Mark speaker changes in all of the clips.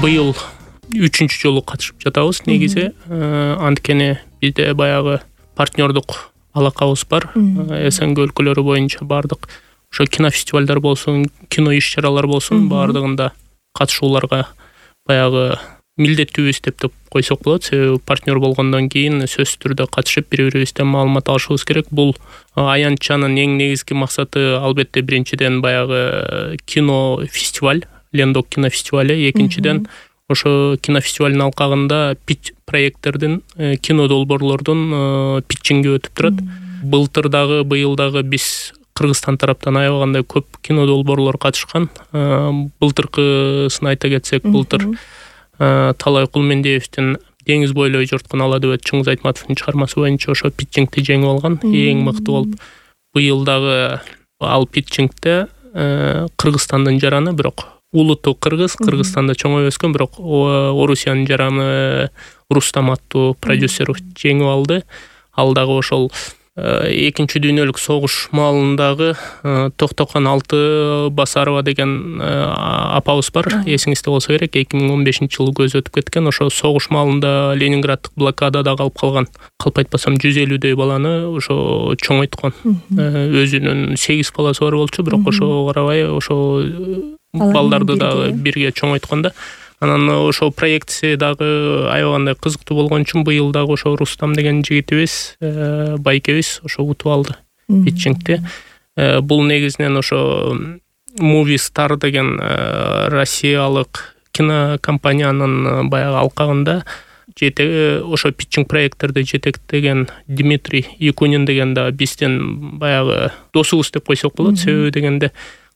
Speaker 1: быйыл 3-чү жолу катышып жатабыз негизи. Анткени бизде баягы партнердук алакабыз бар. СНГ өлкөлөрү боюнча бардык ошо кинофестивалдар болсун, кино иш-чаралар болсун, бардыгында катышууларга баягы милдеттүүбүз деп койсок болот. Себеби партнер болгондон кийин сөзсүз түрдө катышып бири-бирибизден маалымат алышыбыз керек. Бул аянтчанын эң негизги максаты албетте биринчиден баягы кино фестиваль, Лендок кинофестивали, экинчиден ошо кинофестивалдын алкагында питч проекттердин, кино долбоорлордун питчинги өтүп турат. Былтыр дагы, быйыл дагы биз Кыргызстан тараптан аябагандай көп кино долбоорлор катышкан. Былтыркысын айта кетсек, былтыр Талай Кулмендиевдин Деңиз бойлой жорткон ала дөбөт Чыңгыз Айтматовдун чыгармасы боюнча ошо питчингти жеңип алган, эң мыкты болуп. Быйыл дагы ал питчингте Кыргызстандын жараны, бирок улуту кыргыз, Кыргызстанда чоңоюп өскөн, бирок Орусиянын жараны Рустам аттуу продюсер жеңип алды. Ал дагы ошол экинчи дүйнөлүк согуш маалындагы Токтокон Алтыбасарова деген апабыз бар. Эсиңизде болсо керек, 2015-жылы көзү өтүп кеткен. Ошо согуш маалында Ленинграддык блокадада калып калган, калп айтпасам 150дөй баланы ошо чоңойткон. Өзүнүн 8 баласы бар болчу, бирок ошого карабай ошо балдарды дагы бирге чоңойткон да. Анан ошо проекция дагы аябагандай кызыктуу болгон үчүн быйыл дагы ошо Рустам деген жигитибиз, байкебиз ошо утуп алды питчингти. Бул негизинен ошо Movie Star деген Россиялык кинокомпаниянын баягы алкагында ошо питчинг проекттерди жетектеген Дмитрий Якунин деген да бизден баягы досубуз деп койсок болот. Себеби дегенде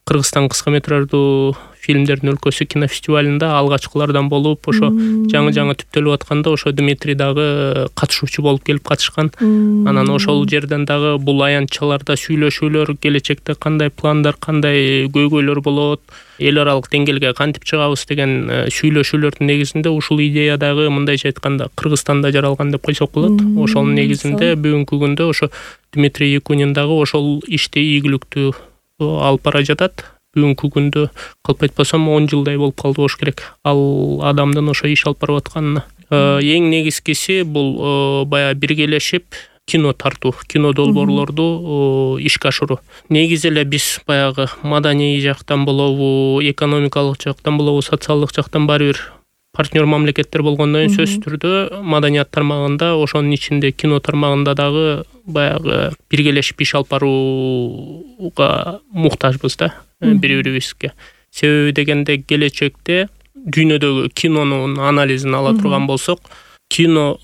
Speaker 1: Кыргызстан кыска метраждуу фильмдердин өлкөсү кинофестивалында алгачкылардан болуп, ошо жаңы түптөлүп атканда ошо Дмитрий дагы катышуучу болуп келип катышкан. Анан ошол жерден дагы бул аянтчаларда сүйлөшүүлөр, келечекте кандай пландар, кандай көйгөйлөр болот, эл аралык деңгээлге кантип чыгабыз деген сүйлөшүүлөрдүн негизинде ушул идея дагы мындайча айтканда Кыргызстанда жаралган деп койсок болот. Ошонун негизинде бүгүнкү күндө ошо Дмитрий Якунин дагы ошол ишти ийгиликтүү алып бара жатат. Бүгүнкү күндө калп айтпасам 10 жылдай болуп калды болуш керек ал адамдын ошо иш алып барып атканына. Эң негизгиси бул баягы биргелешип кино тартуу, кино долбоорлорду ишке ашыруу. Негизи эле биз баягы маданий жактан болобу, экономикалык жактан болобу, социалдык жактан баары бир партнер мамлекеттер болгондон кийин сөзсүз түрдө маданият тармагында, ошонун ичинде кино тармагында дагы баягы биргелешип иш алып барууга муктажбыз да бири-бирибизге. Себеби дегенде келечекте дүйнөдөгү кинонун анализин ала турган болсок, кино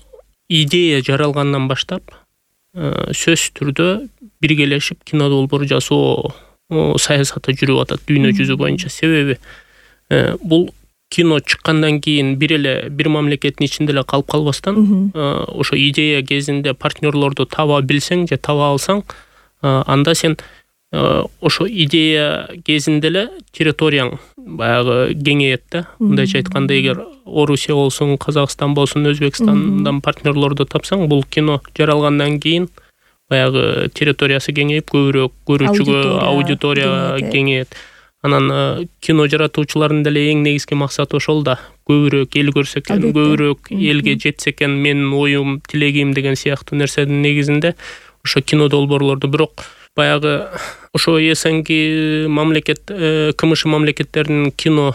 Speaker 1: идея жаралгандан баштап сөзсүз түрдө биргелешип кино долбоор жасоо саясаты жүрүп атат дүйнө жүзү боюнча. Себеби бул кино чыккандан кийин бир мамлекеттин ичинде эле калып калбастан, ошо идея кезинде партнерлорду таба билсең же таба алсаң, анда сен ошо идея кезинде эле территорияң баягы кеңейет да. Мындайча айтканда, эгер Орусия болсун, Казакстан болсун, Өзбекстандан партнерлорду тапсаң, бул кино жаралгандан кийин баягы территориясы кеңейип, көбүрөөк көрүүчүгө аудитория кеңейет. Анан кино жаратуучулардын деле эң негизги максаты ошол да. Көбүрөөк эл көрсө экен, көбүрөөк элге жетсе экен менин оюм, тилегим деген сыяктуу нерседин негизинде ошо кино долбоорлорду. Бирок баягы ошо СНГ мамлекет, КМШ мамлекеттеринин кино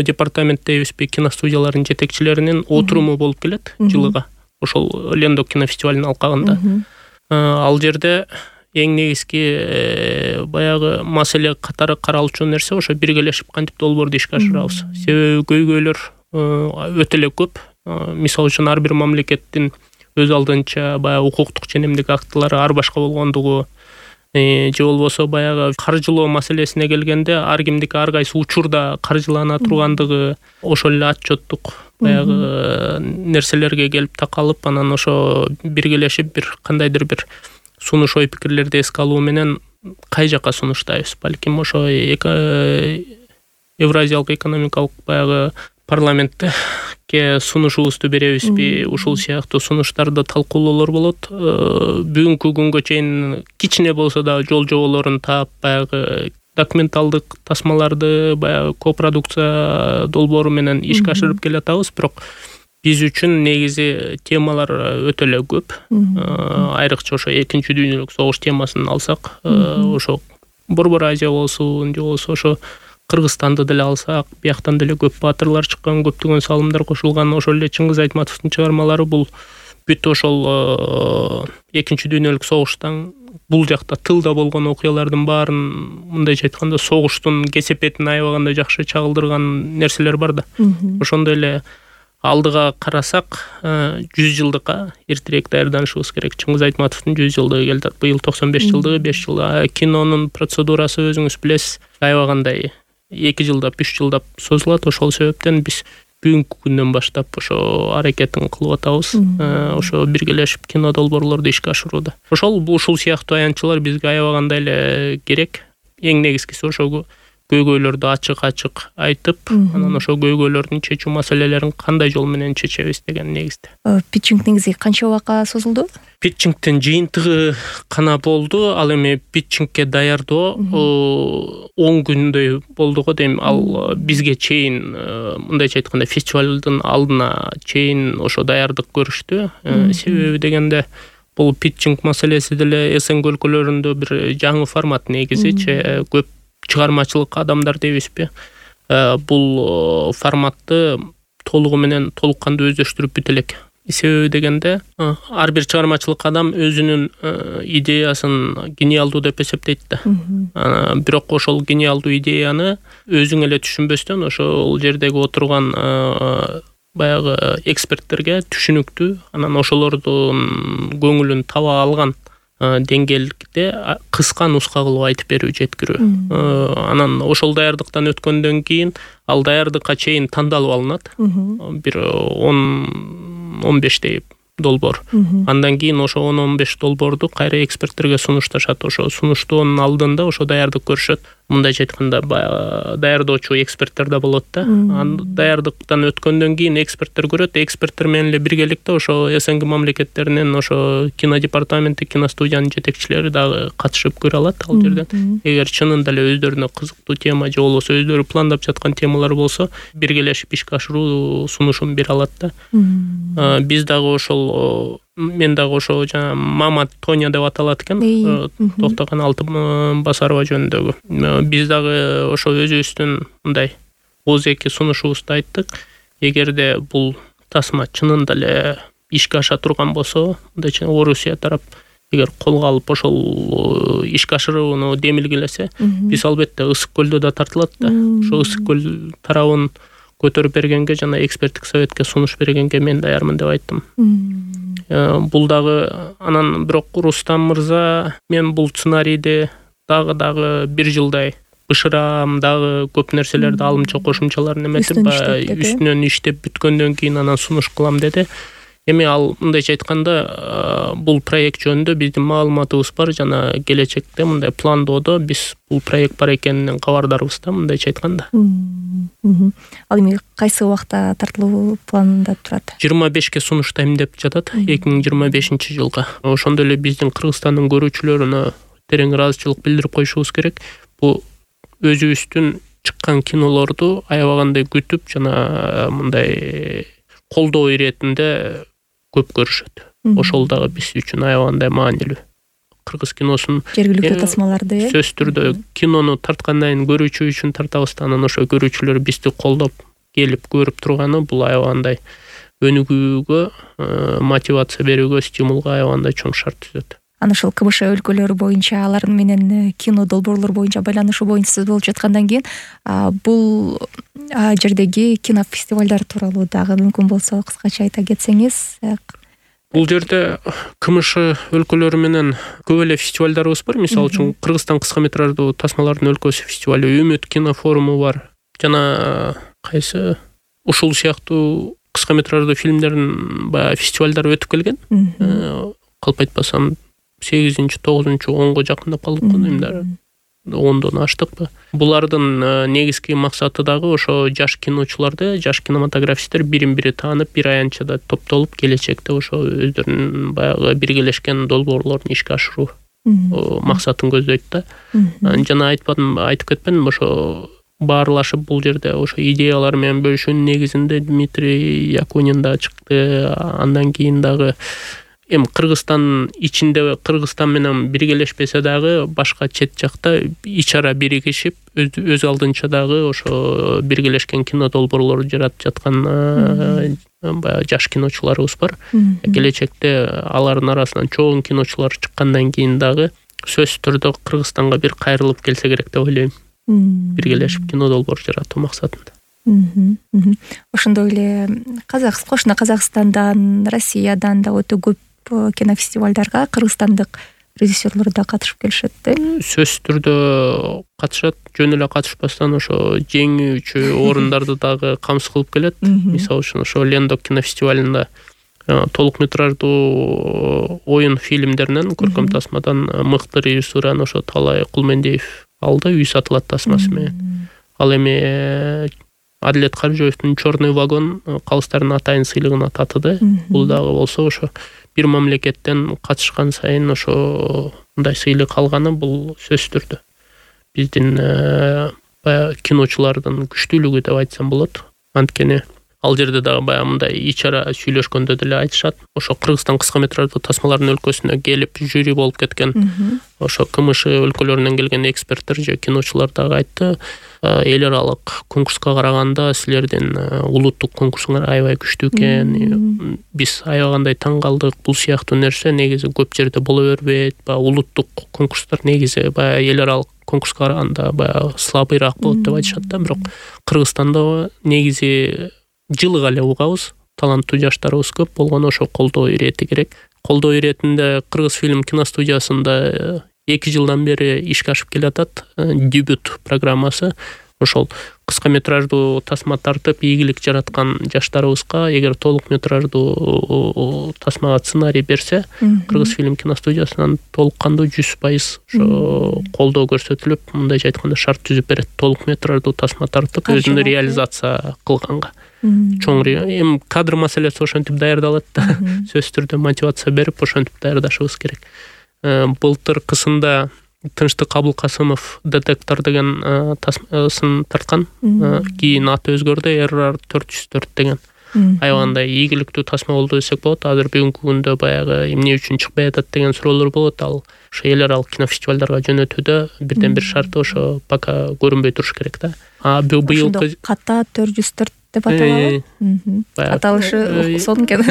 Speaker 1: департамент дейбизби, кино студияларынын жетекчилеринин отуруму болуп келет жылыга. Ошол Лендок кинофестивалынын алкагында. Ал жерде эң негизги баягы маселе катары каралчу нерсе ошо биргелешип кантип долбоорду ишке ашырабыз. Себеби көйгөйлөр өтө эле көп. Мисалы үчүн ар бир мамлекеттин өз алдынча баягы укуктук ченемдик актылары ар башка болгондугу, же болбосо баягы каржылоо маселесине келгенде ар кимдики ар кайсы учурда каржылана тургандыгы, ошол эле отчеттук баягы нерселерге келип такалып, анан ошо биргелешип бир кандайдыр бир сунуш ой пикирлерди эске алуу менен кай жака сунуштайбыз? Балким ошо Евразиялык экономикалык баягы парламентке сунушубузду беребизби? Ушул сыяктуу сунуштарды талкуулоолор болот. Бүгүнкү күнгө чейин кичине болсо да жол жоболорун таап, баягы документалдык тасмаларды баягы копродукция долбоору менен ишке ашырып келатабыз, бирок биз үчүн негизи темалар өтө эле көп. Айрыкча ошо Экинчи дүйнөлүк согуш темасын алсак, ошо Борбор Азия болсун, же болбосо ошо Кыргызстанды деле алсак, бияктан деле көп баатырлар чыккан, көптөгөн салымдар кошулган. Ошол эле Чыңгыз Айтматовдун чыгармалары бул бүт ошол Экинчи дүйнөлүк согуштан бул жакта тылда болгон окуялардын баарын, мындайча айтканда, согуштун кесепетин аябагандай жакшы чагылдырган нерселер бар да. Ошондой эле алдыга карасак, 100 жылдыкка эртерээк даярданышыбыз керек. Чыңгыз Айтматовдун 100 жылдыгы келди. Быйыл 95 жылдыгы, 5 жыл. Кинонун процедурасы өзүңүз билесиз, аябагандай 2 жылдап, 3 жылдап созулат. Ошол себептен биз бүгүнкү күндөн баштап ошо аракетин кылып атабыз. Ошо биргелешип кино долбоорлорду ишке ашырууда. Ушул сыяктуу аянтчылар бизге аябагандай эле керек. Эң негизгиси ошо көйгөйлөрдү ачык айтып, анан ошо көйгөйлөрдүн чечүү маселелерин кандай жол менен чечебиз деген негизде.
Speaker 2: Питчинг негизи канча убакка созулду?
Speaker 1: Питчингдин жыйынтыгы гана болду. Ал эми питчингке даярдоо 10 күндөй болду го дейм. Ал бизге чейин, мындайча айтканда, фестивалдын алдына чейин ошо даярдык көрүштү. Себеби дегенде бул питчинг маселеси деле СНГ өлкөлөрүндө бир жаңы формат негизичи. Көп чыгармачылык адамдар дейбизби, бул форматты толук кандуу өздөштүрүп бүт элек. Себеби дегенде ар бир чыгармачылык адам өзүнүн идеясын гениалдуу деп эсептейт да. Бирок ошол гениалдуу идеяны өзүң эле түшүнбөстөн ошол жердеги отурган баягы эксперттерге түшүнүктүү, анан ошолордун көңүлүн таба алган деңгээлде кыска нуска кылып айтып берүү, жеткирүү. Анан ошол даярдыктан өткөндөн кийин ал даярдыкка чейин тандалып алынат. Бир 10-15 долбоор. Андан кийин ошо 10-15 долбоорду кайра эксперттерге сунушташат. Ошо сунуштоонун алдында ошо даярдык көрүшөт. Мындайча айтканда, даярдоочу эксперттер да болот да. Даярдыктан өткөндөн кийин эксперттер көрөт. Эксперттер менен эле биргеликте ошо СНГ мамлекеттеринин ошо кино департаменти, киностудиянын жетекчилери дагы катышып көрө алат ал жерден. Эгер чынында эле өздөрүнө кызыктуу тема же болбосо өздөрү пландап жаткан темалар болсо, биргелешип ишке ашыруу сунушун бере алат да. Биз дагы ошол, мен дагы ошо жана Мама Тоня деп аталат экен, Токтогон Алтынбасарова жөнүндөгү. Биз дагы ошо өзүбүздүн мындай ооз-эки сунушубузду айттык. Эгерде бул тасма чынында эле ишке аша турган болсо, мындайча Орусия тарап эгер колго алып ошол ишке ашырууну демилгелесе, биз албетте Ысык көлдө да тартылат да. Ошо Ысык көл тарабын көтөрүп бергенге жана эксперттик советке сунуш бергенге мен даярмын деп айттым. Бул дагы анан бирок Рустам мырза, мен бул сценарийди дагы 1 жылдай бышырам, дагы көп нерселерди алымча кошумчаларын эметип, үстүнөн иштеп бүткөндөн кийин анан сунуш кылам деди. Эми ал мындайча айтканда, бул проект жөнүндө биздин маалыматыбыз бар жана келечекте мындай пландоодо биз бул проект бар экенинен кабардарбыз да, мындайча айтканда.
Speaker 2: Ал эми кайсы убакта тартылуу планда турат?
Speaker 1: 25ке сунуштайм деп жатат, 2025 жылга. Ошондой эле биздин Кыргызстандын көрүүчүлөрүнө терең ыраазычылык билдирип коюшубуз керек. Бул өзүбүздүн чыккан кинолорду аябагандай күтүп жана мындай колдоо иретинде көп көрүшөт. Ошол дагы биз үчүн аябагандай маанилүү. Кыргыз киносун
Speaker 2: жергиликтүү тасмаларды
Speaker 1: сөзсүз түрдө кинону тарткандан кийин көрүүчү үчүн тартабыз, анан ошо көрүүчүлөр бизди колдоп келип көрүп турганы бул аябагандай өнүгүүгө, мотивация берүүгө, стимулга аябагандай чоң шарт түзөт.
Speaker 2: Анан ошол КБШ өлкөлөрү боюнча алар менен кино долбоорлор боюнча байланышуу боюнча болуп жаткандан кийин бул жердеги кинофестивалдар тууралуу дагы мүмкүн болсо кыскача айта кетсеңиз.
Speaker 1: Бул жерде КМШ өлкөлөрү менен көп эле фестивалдарыбыз бар. Мисалы үчүн Кыргызстан кыска метраждуу тасмалардын өлкөсү фестивали, Үмүт кино форуму бар. Жана кайсы ушул сыяктуу кыска метраждуу фильмдердин баягы фестивалдары өтүп келген. Калп айтпасам 8-9-10го жакындап калдык го деймдер. 10дон аштыкпы. Булардын негизги максаты дагы ошо жаш киночуларды, жаш кинематографисттер бирин-бири таанып, бир аянтчада топтолуп келечекте ошо өздөрүнүн баягы биргелешкен долбоорлорун ишке ашыруу. максатын көздөйт да. Жана айтып кетпедимби, ошо баарлашып бул жерде ошо идеялар менен бөлүшүүнүн негизинде Дмитрий Якунин да чыкты. Андан кийин дагы эми Кыргызстан ичинде Кыргызстан менен биргелешпесе дагы башка чет жакта ичара биригишип өз алдынча дагы ошо биргелешкен кино долбоорлорду жаратып жаткан баягы жаш киночуларыбыз бар. Келечекте алардын арасынан чоң киночулар чыккандан кийин дагы сөзсүз түрдө Кыргызстанга бир кайрылып келсе керек деп ойлойм. Биргелешип кино долбоор жаратуу максатында.
Speaker 2: Ошондой эле кошуна Казакстандан, Россиядан да өтө көп кинофестивалдарга кыргызстандык режиссерлор да катышып келишет да.
Speaker 1: Сөзсүз түрдө катышат, жөн эле катышпастан ошо жеңүүчү орундарды дагы камсыз кылып келет. Мисалы үчүн ошо Лендок кинофестивалында толук метраждуу оюн фильмдеринен, көркөм тасмадан мыкты режиссураны ошо Талай Кулмендиев алды, үй сатылат тасмасы менен. Ал эми Адилет Каржоевдун Чёрный вагон калыстардын атайын сыйлыгына татыды. Бул дагы болсо ошо бир мамлекеттен катышкан сайын ошо мындай сыйлык алганы бул сөзсүз түрдө биздин баягы киночулардын күчтүүлүгү деп айтсам болот. Анткени ал жерде дагы баягы мындай ичара сүйлөшкөндө деле айтышат. Ошо Кыргызстан кыска метраждуу тасмалардын өлкөсүнө келип жюри болуп кеткен ошо КМШ өлкөлөрүнөн келген эксперттер же киночулар дагы айтты. Эл аралык конкурска караганда силердин улуттук конкурсуңар аябай күчтүү экен. Биз аябагандай таң калдык. Бул сыяктуу нерсе негизи көп жерде боло бербейт. Баягы улуттук конкурстар негизи баягы эл аралык конкурска караганда баягы слабыйраак болот деп айтышат да. Бирок Кыргызстанда негизи жылыга эле угабыз. Таланттуу жаштарыбыз көп болгону ошо колдоо ирети керек. Колдоо иретинде Кыргыз фильм киностудиясында 2 жылдан бери ишке ашып келатат дебют программасы. Ошол кыска метраждуу тасма тартып ийгилик жараткан жаштарыбызга эгер толук метраждуу тасмага сценарий берсе, Кыргыз фильм киностудиясынан толук кандуу 100% ошо колдоо көрсөтүлүп, мындайча айтканда шарт түзүп берет. Толук метраждуу тасма тартып өзүнө реализация кылганга. Чоң эми кадр маселеси ошентип даярдалат да. Сөзсүз түрдө мотивация берип ошентип даярдашыбыз керек. Былтыркысында Тынчтык Абылкасымов Детектор деген тасмасын тарткан. Кийин аты өзгөрдү, RR 404 деген. Аябагандай ийгиликтүү тасма болду десек болот. Азыр бүгүнкү күндө баягы эмне үчүн чыкпай атат деген суроолор болот. Ал ошо эл аралык кинофестивалдарга жөнөтүүдө бирден бир шарты ошо пока көрүнбөй туруш керек да. Быйылкы
Speaker 2: ката 404 деп аталабы? Аталышы сон экен.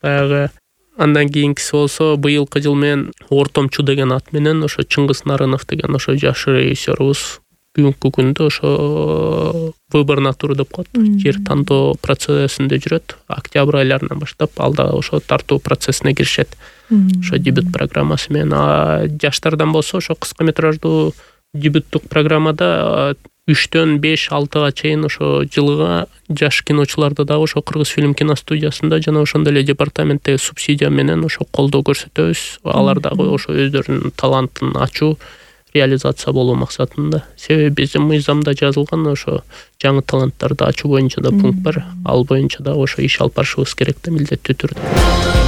Speaker 1: Баягы андан кийинкиси болсо быйылкы жыл менен Ортомчу деген ат менен ошо Чыңгыз Нарынов деген ошо жаш режиссерыбыз бүгүнкү күндө ошо выборный тур деп коет. Жер тандоо процессинде жүрөт. Октябрь айларынан баштап ал да ошо тартуу процессине киришет. Ошо дебют программасы менен. Жаштардан болсо ошо кыска метраждуу дебюттук программада 3-төн 5-6га чейин ошо жылга жаш киночуларды дагы ошо Кыргыз фильм киностудиясында жана ошондой эле департаменттеги субсидия менен ошо колдоо көрсөтөбүз. Алар дагы ошо өздөрүнүн талантын ачуу, реализация болуу максатында. Себеби биздин мыйзамда жазылган ошо жаңы таланттарды ачуу боюнча да пункт бар. Ал боюнча дагы ошо иш алып барышыбыз керек да милдеттүү түрдө.